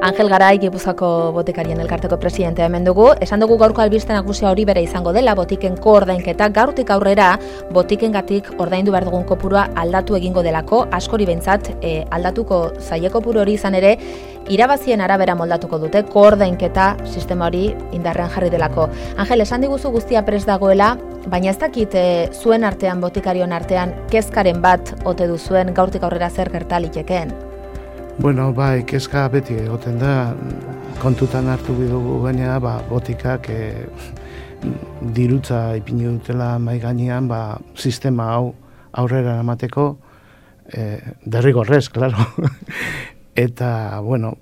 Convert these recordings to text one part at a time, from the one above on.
Angel Garai, Gipuzkoako botikarien elkarteko presidentea hemen dugu. Esan dugu gaurko albiste nagusia hori bere izango dela, botiken koordainketa. Gaurtik aurrera, botikengatik ordaindu behar dugun kopurua aldatu egingo delako, askori behintzat aldatuko zaie kopuru hori izan ere, irabazien arabera moldatuko dute, koordainketa sistema hori indarrean jarri delako. Angel, esan diguzu guztia prest dagoela, baina ez dakit zuen artean, botikarion artean, kezkaren bat ote duzuen gaurtik aurrera zer gerta litekeen? Bueno, bai, kezka beti egoten da, kontutan hartu bidugu gaina, botikak dirutza ipini dutela mai gainean, sistema hau aurrera emateko, derrigorrez, claro. Eta, bueno,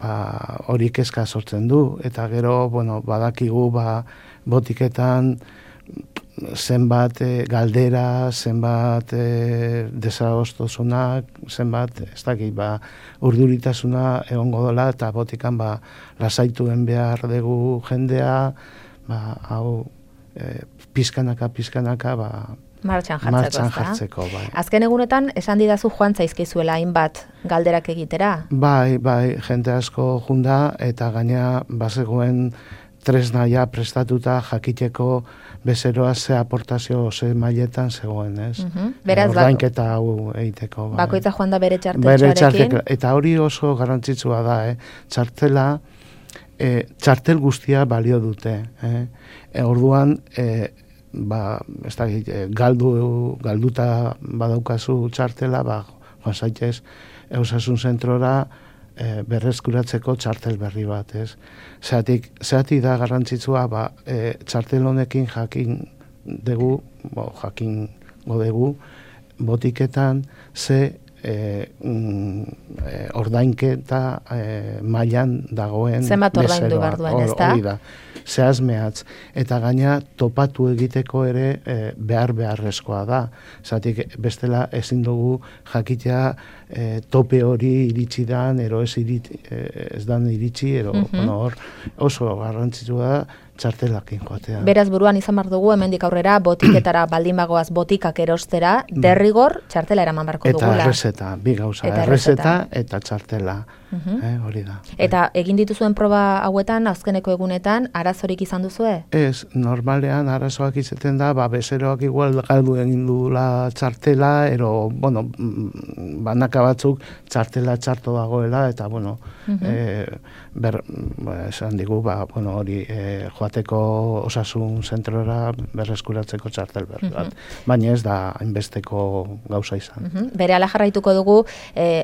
hori kezka sortzen du, eta gero, bueno, badakigu, botiketan, zenbat galdera, zenbat desadostusunak, zenbat, ez dakit, urduritasuna egongo dela, eta botikan lasaituen behar dugu jendea, hau pizkanaka, martxan jartzeko, bai. Azken egunetan, esan didazu joan zaizkizuela hainbat galderak egitera? Bai, jende asko junda, eta gaina bazegoen tresnaia prestatuta jakiteko bezeroa ze aportazio ze mailetan zegoen, ez? Beraz, ordainketa hau egiteko. Bakoitza joan da bere txarteltxoarekin? Eta hori oso garrantzitsua da, txartela, txartel guztia balio dute. Orduan, ez da, galduta badaukazu txartela, joan zaitez, Osasun zentrora berreskuratzeko txartel berri bat, ez? Zeatik da garrantzitsua, txartel honekin jakingo dugu, botiketan ze ordainketa mailan dagoen zenbat ordaindu behar duen, ez da? Hori da, zehazmehatz. Eta gaina topatu egiteko ere beharrezkoa da. Zatik bestela ezin dugu jakitea tope hori iritsi dan, ero ez dan iritsi, hor oso garrantzitsua da txartelakin joatea. Beraz buruan izan behar dugu, hemendik aurrera, botiketara baldin bagoaz botikak erostera, derrigor txartela eraman barko dugula. Eta errezeta, bi gauza, errezeta eta txartela, hori da. Eta egin dituzuen proba hauetan, azkeneko egunetan, arazorik izan duzue? Ez, normalean arazoak izaten da, bezeroak igual galdu egin dula txartela, banaka batzuk txartela txarto dagoela, eta, esan digu, hori joateko Osasun zentrora berreskuratzeko txartel berri bat. Baina ez da hainbesteko gauza izan. Berehala jarraituko dugu,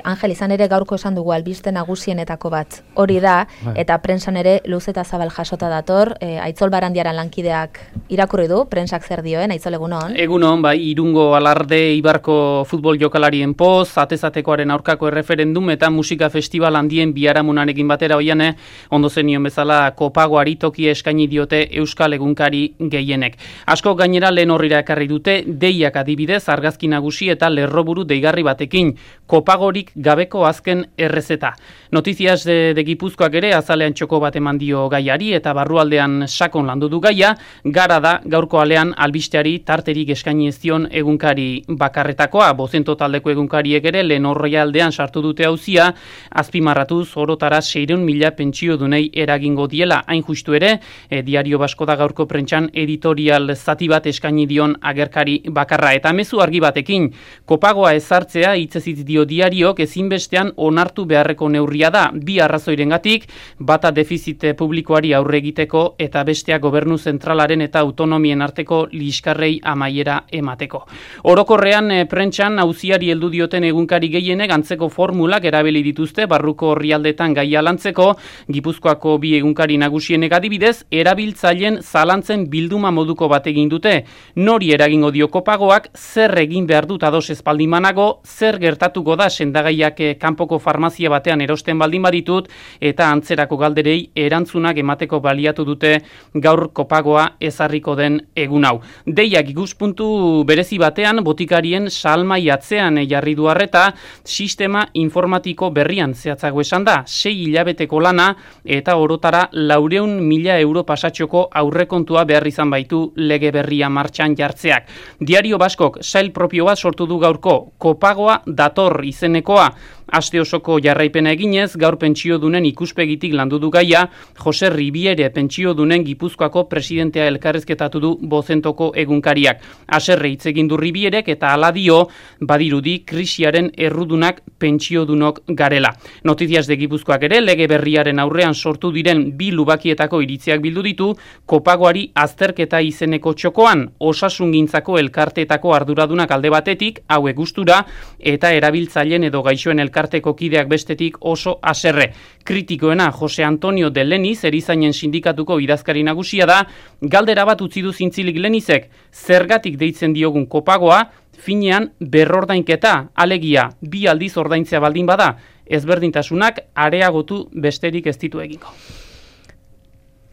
Angel, izan ere gaurko esan dugu albiste nagusienetako bat. Hori da, eta prensan ere luz eta zabal jasota dator, Aitzol Barandiaran lankideak irakurri du, prensak zer dioen, Aitzol, egunon? Egunon, Irungo Alarde Ibarko futbol jokalarien poz, atezatekoaren aurkako erreferendum eta musika festival handien biharamunarekin batera oiane, ondo zenion bezala kopagoari tokia eskaini diote Euskal egunkari gehienek. Asko gainera lehen horrira ekarri dute, deiak adibidez, argazki nagusi eta lerroburu deigarri batekin, kopagorik gabeko azken errezeta. Notizias de Gipuzkoak ere azalean txoko bat eman dio gaiari eta barrualdean sakon landu du gaia, gara da gaurko alean albisteari tarterik eskaini ez dion egunkari bakarretakoa, Bozento taldeko egunkariek ere lehen horrealdean sartu dute auzia, azpimarratuz orotara 600.000 pentsio dunei eragingo diela, hain justu ere, Diario Basko da gaurko prentsan editorial zati bat eskaini dion agerkari bakarra. Eta mezu argi batekin, kopagoa ezartzea hitzez dio diariok ezinbestean onartu beharreko neurria da, bi arrazoirengatik, bata defizit publikoari aurre egiteko eta bestea gobernu zentralaren eta autonomien arteko liskarrei amaiera emateko. Orokorrean prentsan auziari heldu dioten egunkari gehienek antzeko formulak erabili dituzte barruko orrialdetan gaia lantzeko, Gipuzkoako bi egunkari nagusienek adibidez, erabiltzaileen zalantzen bilduma moduko bat egin dute. Nori eragingo dio kopagoak, zer egin behar dut ados espaldin banago, zer gertatuko da sendagaiak kanpoko farmazia batean erosten baldin baditut, eta antzerako galderei erantzunak emateko baliatu dute gaur kopagoa ezarriko den egun hau. Deiak ikuspuntu berezi batean, botikarien salmai atzean jarri du arreta, sistema informatiko berrian zehatzago esan da, 6 hilabeteko lana, eta orotara 400.000 euro pasatxoko aurrekontua behar izan baitu lege berria martxan jartzeak. Diario Baskok sail propio bat sortu du gaurko, kopagoa dator izenekoa, Aste osoko jarraipena eginez, gaur pentsiodunen ikuspegitik landu du gaia, Jose Ribiere pentsiodunen Gipuzkoako presidentea elkarrizketatu du Bozentoko egunkariak. Haserre hitz egin du Ribierek eta hala dio, badirudi krisiaren errudunak pentsiodunok garela. Notizias de Gipuzkoak ere lege berriaren aurrean sortu diren bi lubakietako iritziak bildu ditu, kopagoari azterketa izeneko txokoan, osasungintzako elkarteetako arduradunak alde batetik, hauek gustura, eta erabiltzaileen edo gaixoen elkarteko kideak bestetik oso haserre. Kritikoena Jose Antonio de Leniz, erizainen sindikatuko idazkari nagusia da, galdera bat utzi du zintzilik Lenizek, zergatik deitzen diogun kopagoa, finean berrordainketa, alegia, bi aldiz ordaintzea baldin bada, ezberdintasunak areagotu besterik ez ditu egingo.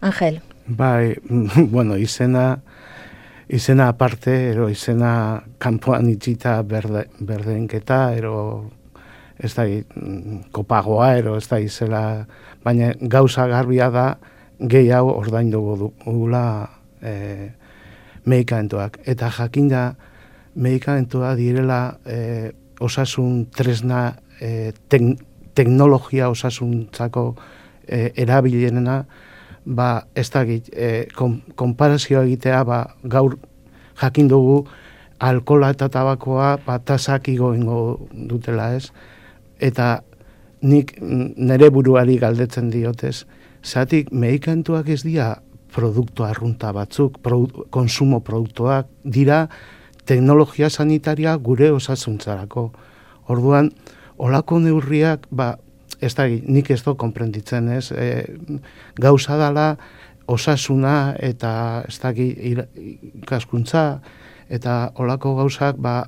Angel. Bai, bueno, izena aparte, ero izena kanpoan itxita berdeinketa, ero ez da kopagoa, ero ez da izela, baina gauza garbia da gehi hau ordainduko dugula medikamentuak. Eta jakinda medikamentua direla osasun tresna teknologia osasuntzako erabilerena, ba, ez da konparazioa egitea, ba, gaur jakin dugu alkohola eta tabakoa tasak igoengo dutela, ez? Eta nik nere buruari galdetzen diotez, zatik medikamentuak ez dira produktu arrunta batzuk, konsumo produktuak, dira teknologia sanitaria gure osasuntzarako. Orduan, olako neurriak, ba, ez da, nik ez do konprenditzen, ez? Gauza dala osasuna eta ez da, ikaskuntza, eta olako gauzak, ba,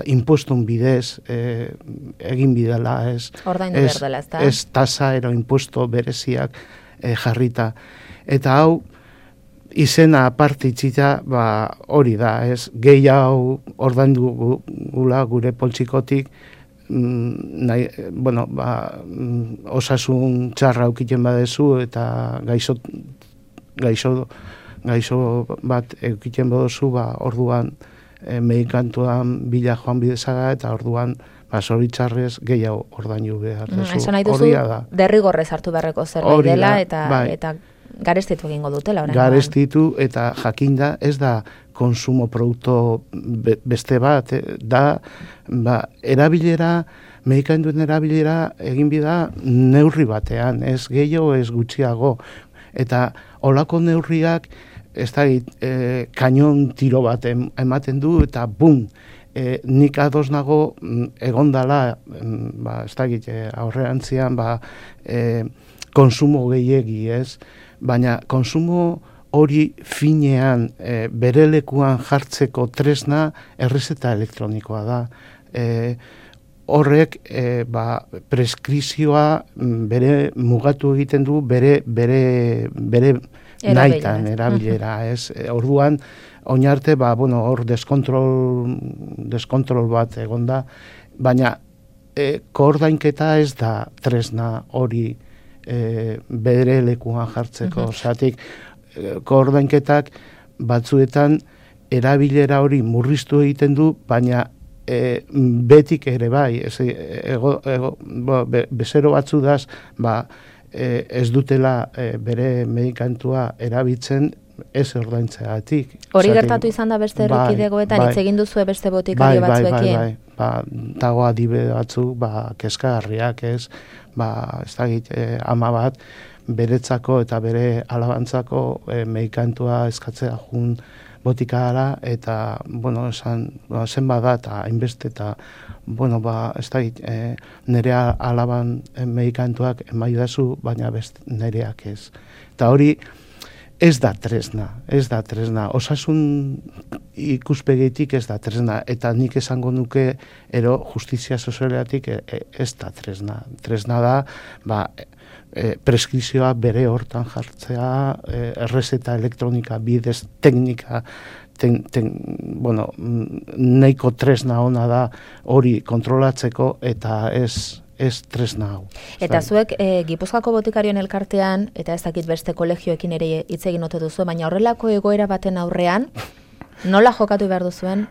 impostun bidez egin bidela, ez? Ordaindu behar dela, ez da? Ez tasa ero imposto bereziak jarrita. Eta hau, izena aparte itxita, ba, hori da, ez? Gehi hau ordaindu gula gure poltsikotik, bueno, ba, osasun txarra aukiten badezu eta gaixo bat eukiten baduzu, ba, orduan medikantuan bila joan bidezaga eta orduan ba, zoritxarrez gehiago ordainu behar duzu. Esan nahi duzu, derrigorrez hartu beharreko zerbait dela eta garestitu egingo dutela. Garestitu eta jakinda ez da konsumo produktu beste bat, da ba, erabilera, medikantuen erabilera egin bida neurri batean, ez gehiago, ez gutxiago. Eta olako neurriak ez da kainon tiro bat ematen du eta bum, nik ados nago egondala, ba, ez da aurrerantzian ba, konsumo gehiegi, ez? Baina konsumo hori finean bere lekuan jartzeko tresna errezeta elektronikoa da. Horrek ba, preskrizioa bere mugatu egiten du bere nahitan erabilera. Orduan, oinarte, ba, bueno, hor deskontrol bat egonda, baina koordainketa ez da tresna hori bere lekuan jartzeko. Zatik, koordainketak batzuetan erabilera hori murriztu egiten du, baina betik ere bai, bezero batzudaz, ba, ez dutela bere medikantua erabiltzen ez ordaintzeagatik. Hori gertatu izan da beste errekidegoetan, hitz egin duzue beste botikario batzuekin? Bai, dago adibide batzuk, ba, kezkagarriak ez, ba, ez dakit, ama bat, beretzako eta bere alabantzako medikantua eskatzea jun botikara eta, bueno, esan, zen bada eta hainbeste eta, bueno, ba, ez dakit, nire alaban medikantuak emaidazu, baina nireak ez. Eta hori, ez da tresna. Osasun ikuspegitik ez da tresna. Eta nik esango nuke, ero, justizia sozialatik ez da tresna. Tresna da, ba, preskrizioa bere hortan jartzea, errezeta elektronika, bidez teknika, bueno, nahiko tresna ona da hori kontrolatzeko eta ez tresna hau. Eta zuek Gipuzkoako botikarioen elkartean, eta ez dakit beste kolegioekin ere hitz egin ote duzu, baina horrelako egoera baten aurrean, Nola jokatu behar duzuen?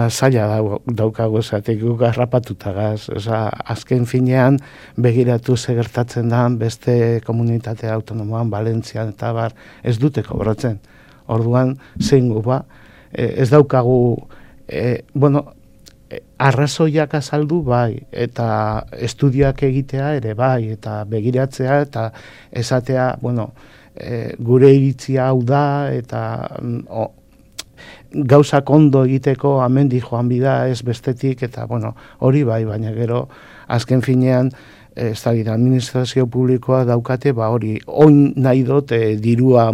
Zaila daukago esatik guk harrapatutagaz. Azken finean begiratu gertatzen da beste komunitate autonomoan, Valentzian eta bar, ez dute kobratzen. Orduan, zein gu ez daukagu, arrazoiak azaldu bai, eta estudioak egitea ere bai, eta begiratzea, eta esatea, gure iritzia hau da, eta gauzak ondo egiteko amendi joan bida ez bestetik, eta hori bai, baina gero azken finean administrazio publikoa daukate, hori oin nahi dut dirua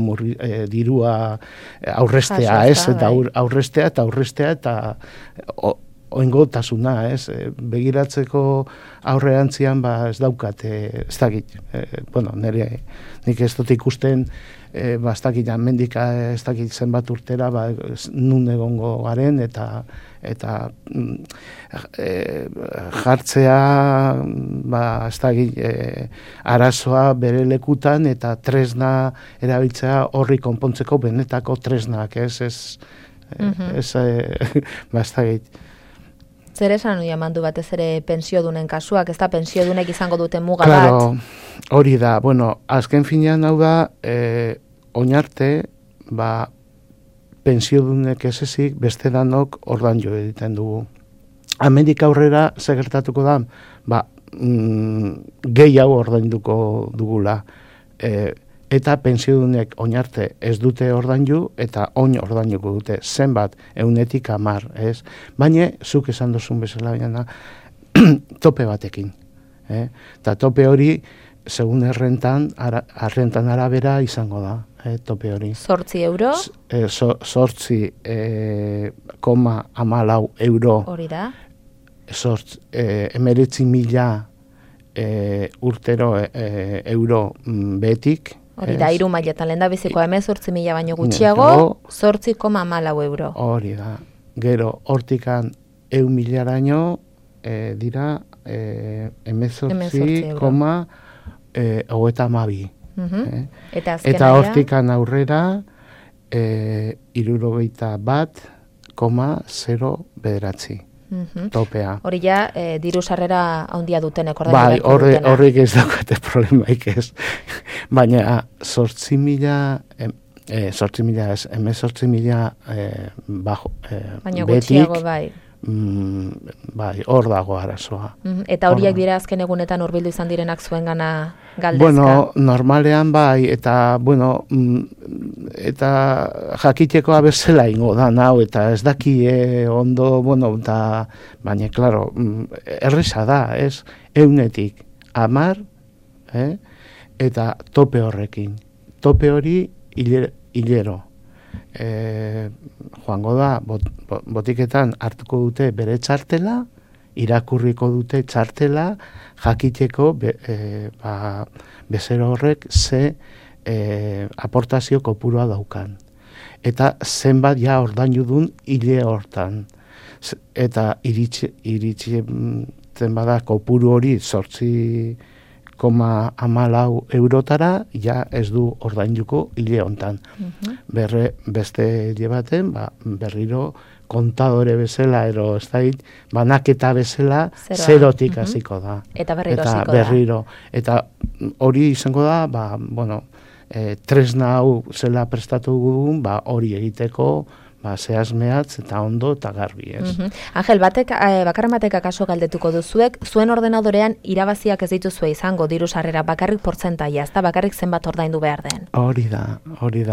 aurrestea, eta aurrestea, eta oingotasuna, begiratzeko aurrerantzian ez daukate, ez dakit, nik ez dut ikusten, ez dakit, mendika ez dakit zenbat urtera, nun egongo garen, eta jartzea, ez dakit, arazoa bere lekutan, eta tresna erabiltzea horri konpontzeko benetako tresnak, ez dakit. Zer esan hori amandu batez ere pensiodunen kasuak, ez da pensiodunek izango duten muga bat? Hori da, azken finean hau da, oinarte, pensiodunek ez ezik, beste danok ordan jo egiten dugu. Hemendik aurrera segertatuko da, gehiago ordainduko dugula. Eta pensiodunek oinarte ez dute ordaindu eta oin ordainduko dute zenbat 110, ez? Baina zuk esan duzun bezala baina tope batekin, eta tope hori segun arrentan arabera izango da, tope hori. 8 euro? 8,14 euro. Hori da? 19.000 urtero euro betik. Hori da, 3 mailetan lehen da bizikoa 18.000 baino gutxiago, 8,14 euro. Hori da, gero hortikan 1.000 dira 18,32. Eta hortikan aurrera 61,09 topea. Hori ja, diru sarrera handia dutenek ordaindu beharko dutena. Horrik ez daukate problemaik ez. Baina 18.000 baina gutxiago bai. Hor dago arazoa. Eta horiek dira azken egunetan hurbildu izan direnak zuengana galdezka? Normalean bai, eta eta jakitekoa bezala ingo da nau, eta ez daki ondo, baina, klaro, erresa da, ez? 110, eta tope horrekin. Tope hori hilero. Joango da, botiketan hartuko dute bere txartela, irakurriko dute txartela, jakiteko bezero horrek ze aportazio kopurua daukan. Eta zenbat ja ordaindu dun hile hortan. Eta iritsi bada kopuru hori 8,14 eurotara, ja ez du ordainduko hile hontan. Beste hile baten, berriro kontadore bezala, ez da, banaketa bezala, zerotik hasiko da. Eta berriro. Eta hori izango da, tresna hau zela prestatu dugun, hori egiteko, zehazmeatz eta ondo eta garbi, ez. Angel, bakarren batek akaso galdetuko duzuek, zuen ordenadorean irabaziak ez dituzue izango diru sarrera bakarrik portzentaia, ez da bakarrik zenbat ordaindu behar den? Hori da. Hori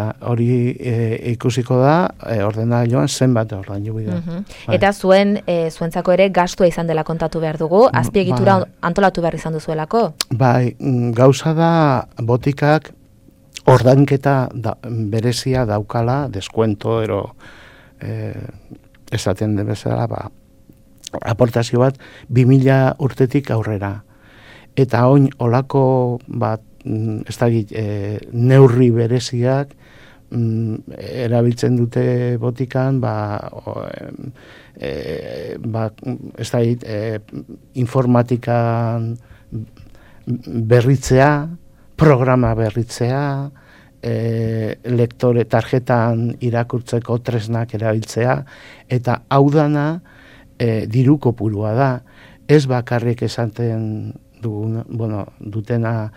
ikusiko da, ordenagailuan zenbat ordaindu da. Eta zuentzako ere gastua izan dela kontatu behar dugu, azpiegitura antolatu behar izan duzuelako? Bai, gauza da botikak ordainketa berezia daukala, deskuento, esaten den bezala, aportazio bat 2000 urtetik aurrera. Eta oin olako ez dakit, neurri bereziak erabiltzen dute botikan, ez dakit, informatikan berritzea, programa berritzea, lektore tarjetan irakurtzeko tresnak erabiltzea, eta hau dana diru kopurua da. Ez bakarrik esaten dutena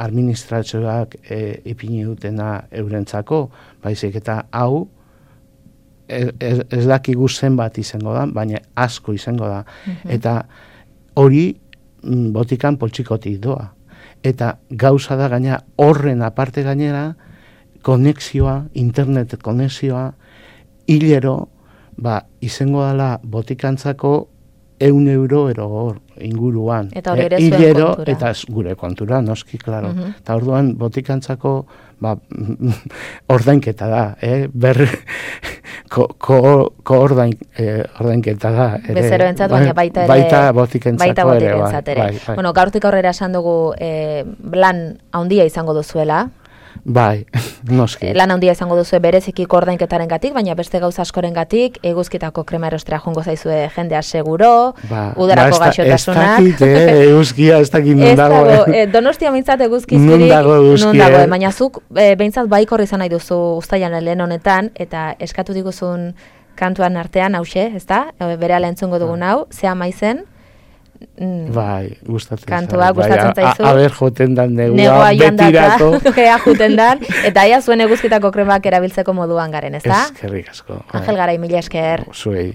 administrazioak ipini dutena eurentzako, baizik eta hau ez dakigu zenbat izango da, baina asko izango da. Eta hori botikan poltsikotik doa. Eta gauza da gaina horren aparte gainera, konexioa, internet konexioa, hilero, izango dela botikantzako €1 hor inguruan. Eta hori ere zuen kontura. Eta gure kontura, noski, klaro. Eta orduan botikantzako ordainketa da, ordainketa da. Bezeroentzat, baina baita ere. Baita botikentzako ere. Bai. Bueno, gaurtik aurrera esan dugu lan handia izango duzuela. Bai, noski. Lan handia izango duzu bereziki ordainketaren gatik, baina beste gauza askoren gatik, eguzkitako krema erostera jongo zaizue jendea seguro, udarako gaixotasunak. Ez dakit, eguzkia, ez dakit nun dago. Donostia mintzat eguzkizkirik, nun dago, baina zuk behintzat baikor izan nahi duzu ustailan lehen honetan, eta eskatu diguzun kantuan artean, hause, ez da? Berehala entzungo dugun hau, zea maizen? Bai, gustatzen kantua gustatzen zaizu. Aber joten dan negua betirako. Ea joten dan, eta ea zuen eguzkitako kremak erabiltzeko moduan garen, ez da? Eskerrik asko. Angel Garai, mila esker. Zuei.